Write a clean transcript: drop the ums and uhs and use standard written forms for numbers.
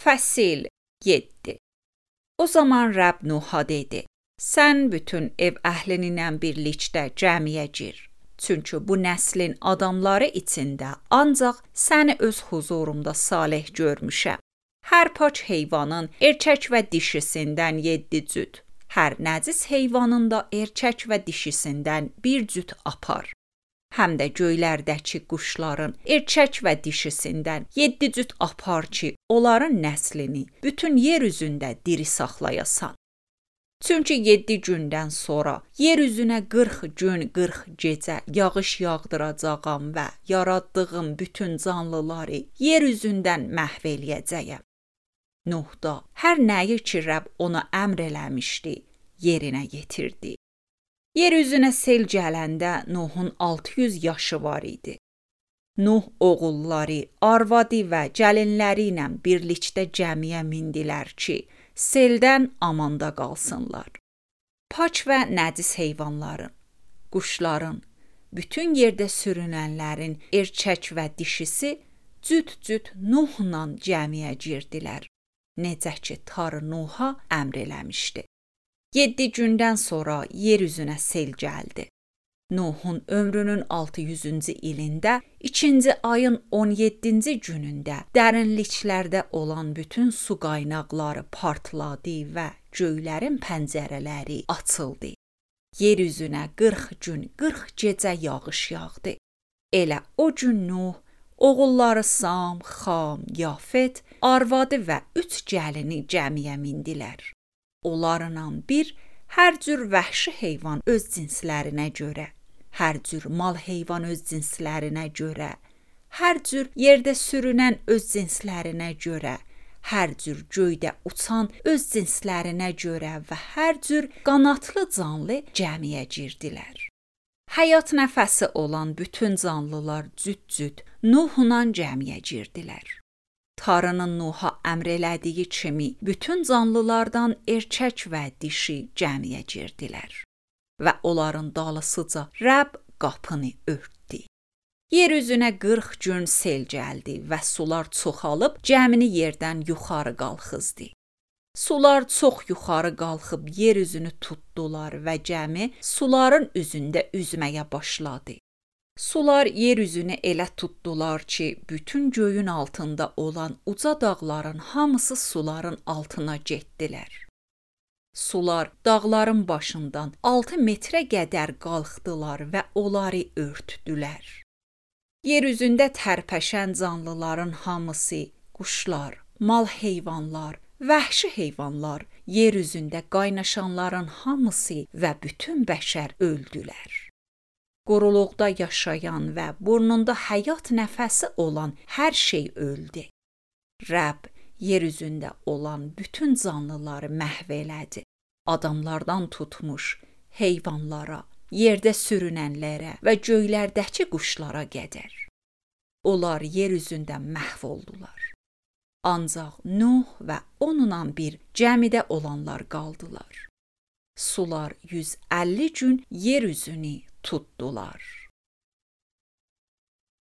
Fəsil 7. O zaman Rəbb Nuha dedi: Sən bütün ev əhlinlə birlikdə cəmiyə gir. Çünki bu nəslin adamları içində ancaq səni öz huzurumda salih görmüşəm. Hər paç heyvanın erkək və dişisindən 7 cüt, hər nəcis heyvanın da erkək və dişisindən 1 cüt apar. Həm də göylərdəki quşların erkək və dişisindən 7 cüt apar ki, onların nəslini bütün yer üzündə diri saxlayasan. Çünki 7 gündən sonra yer üzünə 40 gün, 40 gecə yağış yağdıracağam və yaratdığım bütün canlıları yer üzündən məhv eləyəcəyəm. Nuh da hər nəyi ki Rəbb ona əmr eləmişdi, yerinə yetirdi. Yer üzünə sel gələndə Nuhun 600 yaşı var idi. Nuh oğulları, arvadı və gəlinləri ilə birlikdə gəmiyə mindilər ki, seldən amanda qalsınlar. Paç və nəcis heyvanların, quşların, bütün yerdə sürünənlərin erkək və dişisi cüt-cüt Nuhla gəmiyə girdilər. Necə ki, Tanrı Nuha əmr eləmişdi. 7 gündən sonra yer üzünə sel gəldi. Nuhun ömrünün 600-cü ilində, 2-ci ayın 17-ci günündə dərinliklərdə olan bütün su qaynaqları partladı və göylərin pəncərələri açıldı. Yer üzünə 40 gün, 40 gecə yağış yağdı. Elə o gün Nuh, oğulları Sam, Xam, Yafet, arvadı və 3 gəlini gəmiyə mindilər. Onlarla bir, hər cür vəhşi heyvan öz cinslərinə görə, hər cür mal heyvan öz cinslərinə görə, hər cür yerdə sürünən öz cinslərinə görə, hər cür göydə uçan öz cinslərinə görə və hər cür qanadlı canlı gəmiyə girdilər. Həyat nəfəsi olan bütün canlılar cüt-cüt Nuhla gəmiyə girdilər. Tanrının Nuha əmr elədiyi kimi bütün canlılardan erkək və dişi gəmiyə girdilər və onların dalısıca Rəbb qapını örtdü. Yer üzünə 40 gün sel gəldi və sular çoxalıb gəmini yerdən yuxarı qalxızdı. Sular çox yuxarı qalxıb yer üzünü tutdular və gəmi suların üzündə üzməyə başladı. Sular yer üzünü elə tutdular ki, bütün göyün altında olan uca dağların hamısı suların altına getdilər. Sular dağların başından 6 metrə qədər qalxdılar və onları örtdülər. Yer üzündə tərpəşən canlıların hamısı, quşlar, mal heyvanlar, vəhşi heyvanlar, yer üzündə qaynaşanların hamısı və bütün bəşər öldülər. Quruluqda yaşayan və burnunda həyat nəfəsi olan hər şey öldü. Rəbb yer üzündə olan bütün canlıları məhv elədi. Adamlardan tutmuş heyvanlara, yerdə sürünənlərə və göylərdəki quşlara qədər. Onlar yer üzündə məhv oldular. Ancaq Nuh və onunla bir gəmidə olanlar qaldılar. Sular 150 gün yer üzünü tutdular.